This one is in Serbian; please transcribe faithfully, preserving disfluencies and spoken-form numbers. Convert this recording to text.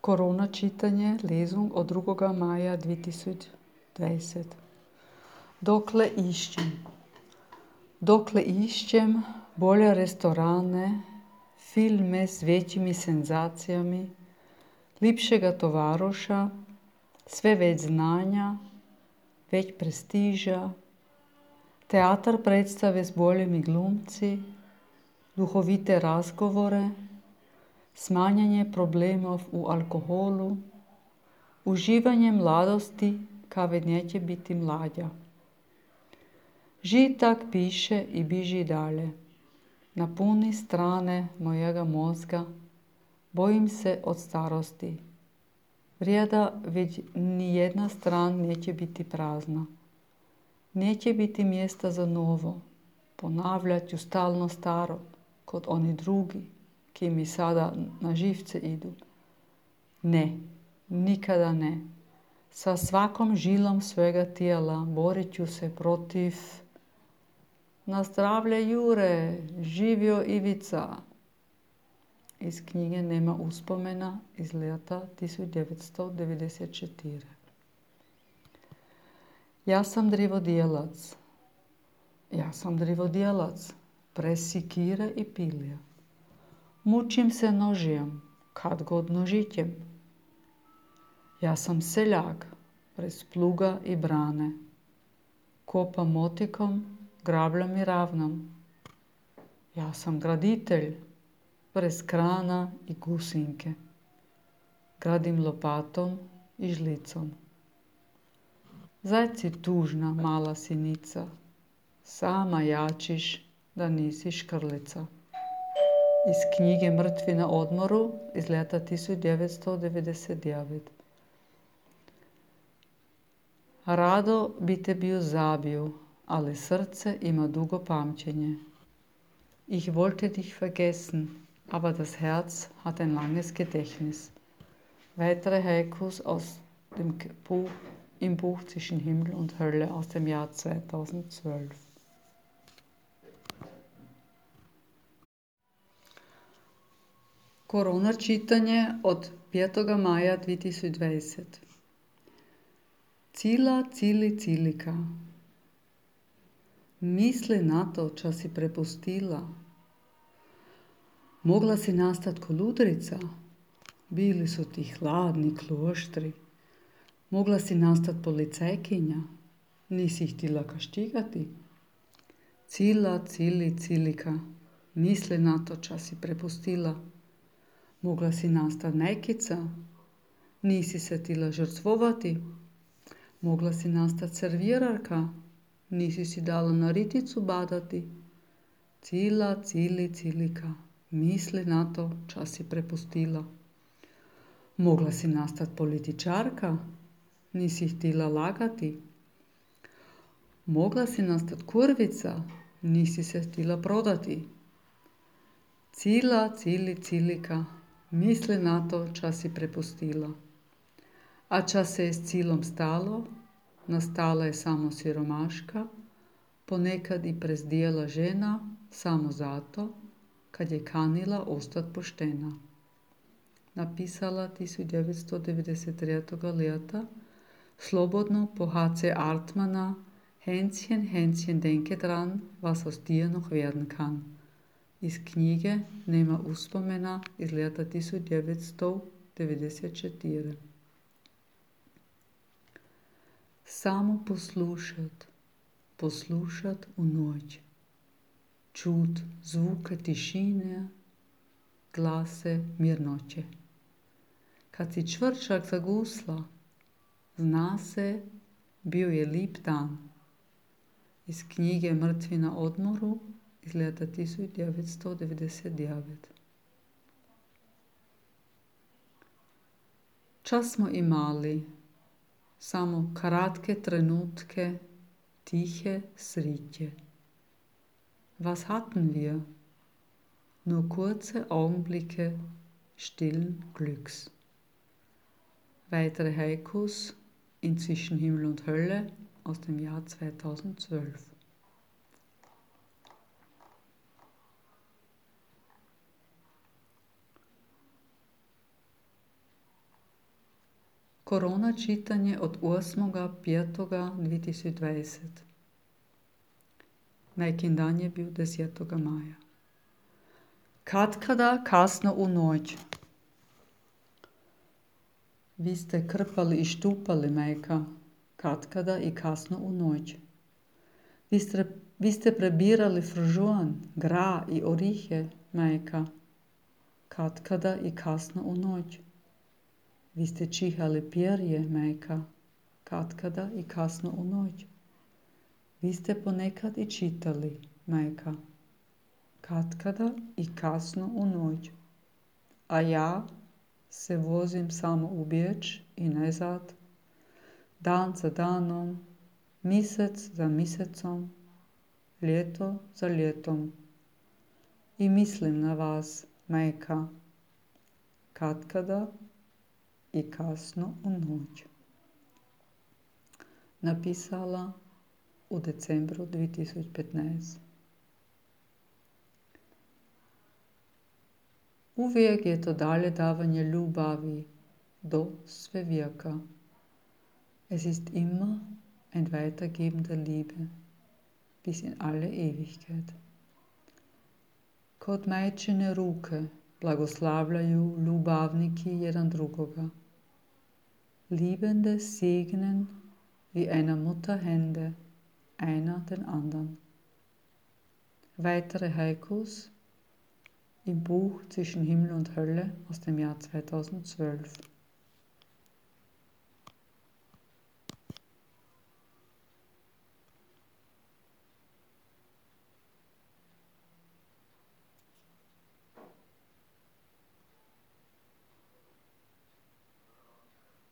Korona čitanje, Lesung od drugog maja dvije tisuće dvadeset. Dokle išćem? Dokle išćem bolje restorane, filme s većimi senzacijami, lipšega tovaroša, sve već znanja, već prestiža, teatar predstave s boljimi glumci, duhovite razgovore, smanjanje problemov u alkoholu, uživanje mladosti kave neće biti mlađa. Žitak piše i biži dalje. Napuni strane mojega mozga, bojim se od starosti. Vrijeda već ni jedna stran neće biti prazna. Neće biti mjesta za novo. Ponavljat ću stalno staro, kod oni drugi, ki mi sada na živce idu. Ne, nikada ne. Sa svakom žilom svega tijela borit ću se protiv. Na zdravlje Jure, živio Ivica. Iz knjige Nema uspomena iz leta tisuću devetsto devedeset četiri. Ja sam drivodjelac. Ja sam drivodjelac, presikire i pilja. Mučim se nožijem, kad god nožićem. Ja sam seljak, prez pluga i brane. Kopam motikom, grabljam i ravnam. Ja sam graditelj, prez krana i gusinke. Gradim lopatom i žlicom. Zaj si tužna, mala sinica, sama jačiš da nisi škrlica. Iz knjige Mrtvi na odmoru iz leta tisuću devetsto devedeset devet. Rado bi te bio zabio, ali srce ima dugo pamćenje. Ich wollte dich vergessen, aber das Herz hat ein langes Gedächtnis. Weitere Haikus aus dem Buch, im Buch Zwischen Himmel und Hölle aus dem Jahr zweitausendzwölf. Korona čitanje od petog maja dvije tisuće dvadeset. Cila, cili, cilika. Misli na to, ča si prepustila. Mogla si nastat ko ludrica. Bili su ti hladni kloštri. Mogla si nastat policajkinja. Nisi htjela kaštigati. Cila, cili, cilika. Misli na to, ča si prepustila. Mogla si nastat nekica. Nisi se htjela žrtvovati. Mogla si nastat servirarka. Nisi si dala na riticu badati. Cila, cili, cilika. Misli na to, ča si prepustila. Mogla si nastat političarka. Nisi htjela lagati. Mogla si nastat kurvica. Nisi se htjela prodati. Cila, cili, cilika. Misli na to, ča si prepustila. A ča se je s cilom stalo, nastala je samo siromaška, ponekad i prezdijela žena, samo zato, kad je kanila ostat poštena. Napisala tisuću devetsto devedeset tretjeg leta, slobodno po H C Artmana, Hänschen, Hänschen, denke dran, was aus dir noch werden kann. Iz knjige Nema uspomena iz leta tisuću devetsto devedeset četiri. Samo poslušat, poslušat u noć. Čut zvuke tišine, glase mirnoće. Kad si čvrčak zagusla, zna se, bio je lip dan. Iz knjige Mrtvi na odmoru iz leta tisuću devetsto devedeset devet. Čas smo imali samo kratke trenutke tihe sritje. Was hatten wir? Nur kurze Augenblicke stillen Glücks. Weitere Haikus in Zwischen Himmel und Hölle aus dem Jahr zweitausendzwölf. Korona čitanje od osmog petog dvije tisuće dvadeset. Nekin dan je bil desetog maja. Katkada kasno u noć. Vi ste krpali i štupali, majka, katkada i kasno u noć. Vi ste, vi ste prebirali fržuan, gra i orihe, majka, katkada i kasno u noć. Vi ste čihali perje, majka, katkada i kasno u noć. Vi ste ponekad i čitali, majka, katkada i kasno u noć. A ja se vozim samo u Beč i nazad, dan za danom, mjesec za mjesecom, ljeto za ljetom. I mislim na vas, majka, katkada i kasno u noć. Napisala u decembru dvije tisuće petnaest. Uvijek je to dalje davanje ljubavi do sve vijeka. Es ist immer ein Weitergeben der Liebe bis in alle Ewigkeit. Kod majčine ruke blagoslavljaju ljubavniki jedan drugoga. Liebende segnen wie einer Mutter Hände, einer den anderen. Weitere Haikus im Buch Zwischen Himmel und Hölle aus dem Jahr zweitausendzwölf.